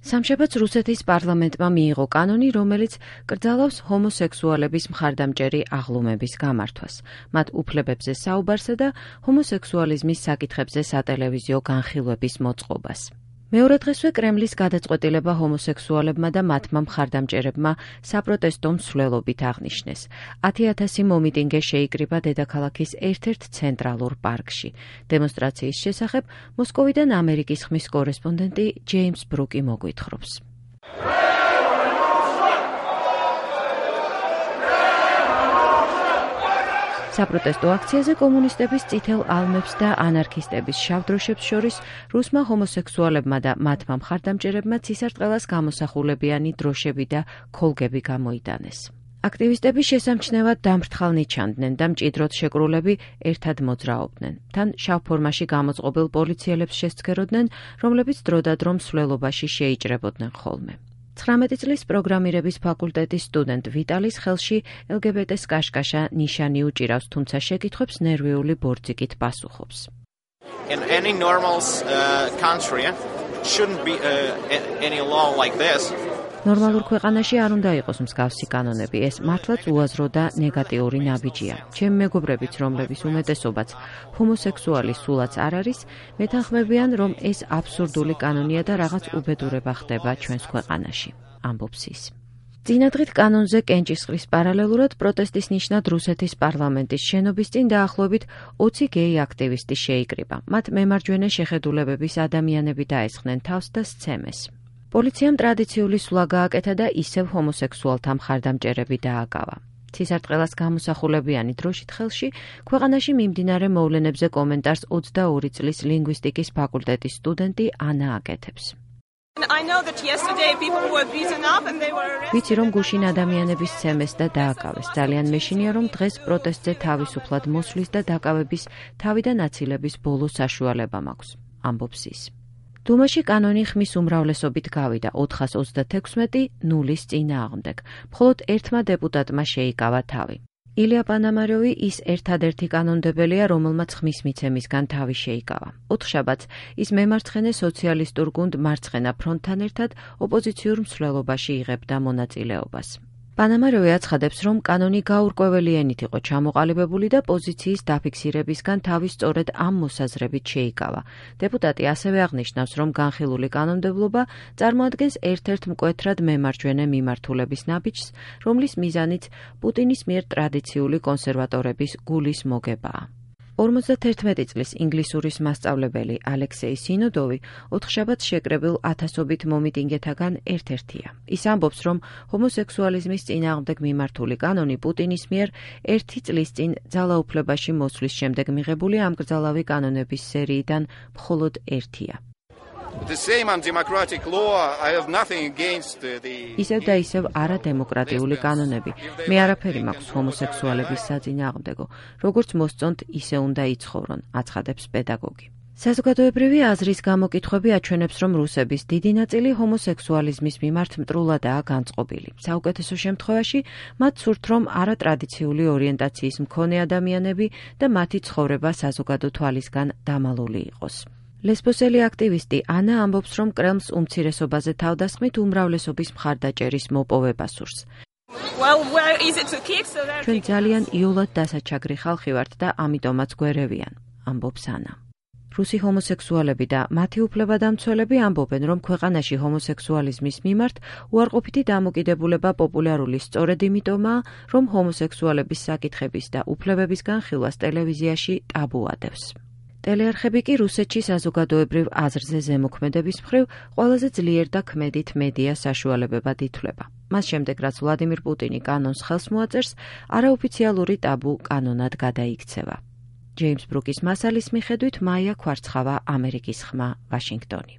სამშაბათს რუსეთის პარლამენტმა მიიღო კანონი, რომელიც კრძალავს ჰომოსექსუალების მხარდამჭერი აღლუმების გამართვას, მათ უფლებებზე საუბარსა და ჰომოსექსუალიზმის საკითხებზე სატელევიზიო განხილვების მოწყობას. მეორე დღესვე კრემლის გადაწყვეტილება ჰომოსექსუალებმა და მათმა მხარდამჭერებმა საპროტესტო მსვლელობით აღნიშნეს. 10,000 მომიტინგე შეიკრიბა დედაქალაქის ერთ-ერთ ცენტრალურ პარკში. დემონსტრაციის შესახებ მოსკოვიდან ამერიკის ხმის კორესპონდენტი ჯეიმს ბრუკი მოგვითხრობს. საპროტესტო აქციაზე კომუნისტების წითელ ალმებს და ანარქისტების შავდროშებს შორის რუსმა ჰომოსექსუალებმა და მათმა მხარდამჭერებმა ცისარტყელას გამოსახულებიანი დროშები და ქოლგები გამოიტანეს. აქტივისტები შესამჩნევად დამფრთხალნი ჩანდნენ და მჭიდროდ შეკრულები ერთად მოძრაობდნენ. თან შავ ფორმაში გამოწყობილ პოლიციელებს შესცქეროდნენ, რომლებიც დროდადრო მსვლელობაში შეიჭრებოდნენ ხოლმე. 19 წლის პროგრამირების ფაკულტეტის სტუდენტ ვიტალის ხელში LGBT-ს კაშკაშა ნიშანი უჭირავს, თუმცა შეკითხვებს ნერვიული ბორძიკით პასუხობს. In any normal country shouldn't be any law like this. ნორმალურ ქვეყანაში არ უნდა იყოს მსგავსი კანონები, ეს მართლაც უაზრო და ნეგატიური ნაბიჯია. ჩემი მეგობრებიც, რომლების უმეტესობაც ჰომოსექსუალი სულაც არ არის, მეთანხმებიან, რომ ეს აბსურდული კანონია და რაღაც უბედურება ხდება ჩვენს ქვეყანაში, ამბობს ის. წინადღით კანონზე კენჭისყრის პარალელურად პროტესტის ნიშნად რუსეთის პარლამენტის შენობის წინ დაახლოებით 20 გეი აქტივისტი შეიკრიბა. მათ მემარჯვენე შეხედულებების ადამიანები დაესხნენ თავს და სცემეს. პოლიციამ ტრადიციული სვლა გააკეთა და ისევ ჰომოსექსუალთა მხარდამჭერები დააკავა. ცისარტყელას გამოსახულებიანი დროშით ხელში ქვეყანაში მიმდინარე მოვლენებზე კომენტარს 22 წლის ლინგვისტიკის ფაკულტეტის სტუდენტი ანა აკეთებს. ვიცი, რომ გუშინ ადამიანების სცემეს და დააკავეს. ძალიან მეშინია, რომ დღეს პროტესტზე თავისუფლად მოსვლის და დაკავების თავიდან აცილების ბოლო საშუალება მაქვს, ამბობს ის. დუმაში კანონი ხმის უმრავლესობით გავიდა 436-0-ის წინააღმდეგ. მხოლოდ ერთმა დეპუტატმა შეიკავა თავი. ილია პანამაროვი ის ერთადერთი კანონდებელია, რომელმაც ხმის მიცემისგან თავი შეიკავა. ოთხშაბათს ის მემარცხენე სოციალისტურ გუნდ მარცხენა ფრონტთან ერთად ოპოზიციურ მსვლელობაში იღებდა მონაწილეობას. პანამაროვი აცხადებს, რომ კანონი გაურკვეველი ენით იყო ჩამოყალიბებული და პოზიციის დაფიქსირებისგან თავი სწორედ ამ მოსაზრებით შეიკავა. დეპუტატი ასევე აღნიშნავს, რომ განხილული კანონმდებლობა წარმოადგენს ერთ-ერთ მკვეთრად მემარჯვენე მიმართულების ნაბიჯს, რომლის მიზანიც პუტინის მიერ ტრადიციული კონსერვატორების გულის მოგებაა. 51 წლის ინგლისურის მასწავლებელი ალექსეი სინოდოვი ოთხშაბათს შეკრებილ ათასობით მომიტინგეთაგან ერთ-ერთია. ის ამბობს, რომ ჰომოსექსუალიზმის წინააღმდეგ მიმართული კანონი პუტინის მიერ 1 წლის წინ ძალაუფლებაში მოსვლის შემდეგ მიღებული ამკრძალავი კანონების სერიიდან მხოლოდ ერთია. ისევ და ისევ არადემოკრატიული კანონები. მე არაფერი მაქვს ჰომოსექსუალების საწინააღმდეგო. როგორც მოსწონთ, ისე უნდა იცხოვრონ, აცხადებს პედაგოგი. საზოგადოებრივი აზრის გამოკითხვები აჩვენებს, რომ რუსების დიდი ნაწილი ჰომოსექსუალიზმის მიმართ მტრულადაა განწყობილი. საუკეთესო შემთხვევაში მათ სურთ, რომ არატრადიციული ორიენტაციის მქონე ადამიანები და მათი ცხოვრება საზოგადო თვალისგან დამალული იყოს. ლესბოსელი აქტივისტი ანა ამბობს, რომ კრემლს უმცირესობაზე თავდასხმით უმრავლესობის მხარდაჭერის მოპოვება სურს. ჩვენ ძალიან იოლად დასაჩაგრი ხალხი ვართ და ამიტომაც გვერევიან, ამბობს ანა. რუსი ჰომოსექსუალები და მათი უფლებადამცველები ამბობენ, რომ ქვეყანაში ჰომოსექსუალიზმის მიმართ უარყოფითი დამოკიდებულება პოპულარული სწორედ იმიტომაა, რომ ჰომოსექსუალების საკითხების და უფლებების განხილვას ტელევიზიაში ტაბუ ადევს. ტელეარხები კი რუსეთში საზოგადოებრივ აზრზე ზემოქმედების მხრივ ყველაზე ძლიერ და ქმედით მედია საშუალებებად ითვლება. მას შემდეგ, რაც ვლადიმირ პუტინი კანონს ხელს მოაწერს, არაოფიციალური ტაბუ კანონად გადაიქცევა. ჯეიმს ბრუკის მასალის მიხედვით მაია ქვარცხავა, ამერიკის ხმა, ვაშინგტონი.